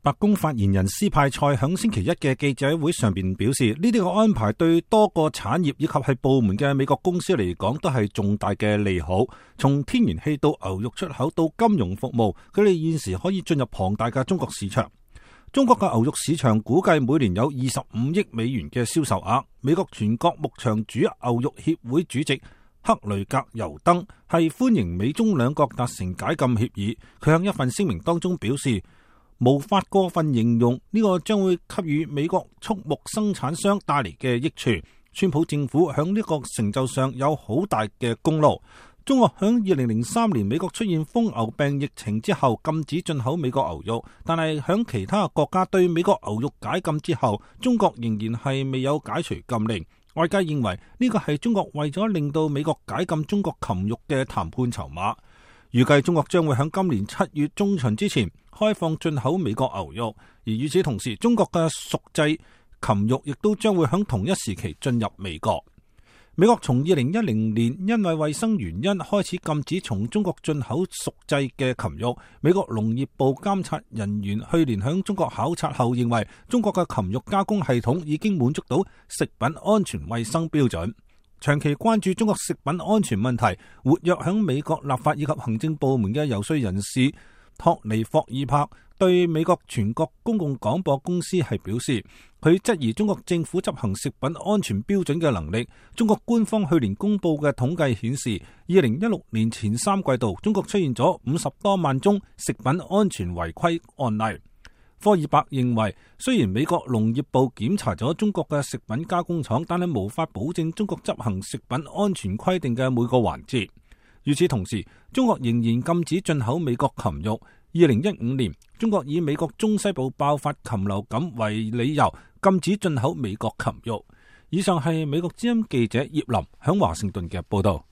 白宮發言人斯派塞響星期一嘅記者會上邊表示，呢啲嘅安排對多個產業以及係部門嘅美國公司嚟講都係重大嘅利好。從天然氣到牛肉出口到金融服務，佢哋現時可以進入龐大嘅中國市場。中國嘅牛肉市場估計每年有25億美元嘅銷售額。美國全國牧場主牛肉協會主席克雷格尤登係歡迎美中兩國達成解禁協議。佢喺一份聲明當中表示，無法過分形容呢個將會給予美國畜牧生產商帶嚟嘅益處。川普政府響呢個成就上有好大嘅功勞。中國響2003年美國出現瘋牛病疫情之後禁止進口美國牛肉，但係響其他國家對美國牛肉解禁之後，中國仍然係未有解除禁令。外界認為呢個係中國為咗令到美國解禁中國禽肉嘅談判籌碼。預計中國將會喺今年7月中旬之前開放進口美國牛肉，而與此同時，中國嘅熟製禽肉亦都將會喺同一時期進入美國。美國從2010年因為衛生原因開始禁止從中國進口熟製嘅禽肉。美國農業部監察人員去年喺中國考察後認為，中國嘅禽肉加工系統已經滿足到食品安全衛生標準。長期關注中國食品安全問題、活躍響美國立法以及行政部門嘅游說人士托尼霍爾柏對美國全國公共廣播公司係表示，佢質疑中國政府執行食品安全標準嘅能力。中國官方去年公布嘅統計顯示，2016年前3季度，中國出現咗50多萬宗食品安全違規案例。科爾伯認為，雖然美國農業部檢查咗中國嘅食品加工廠，但係無法保證中國執行食品安全規定嘅每個環節。與此同時，中國仍然禁止進口美國禽肉。2015年，中國以美國中西部爆發禽流感為理由，禁止進口美國禽肉。以上係美國之音記者葉林響華盛頓嘅報道。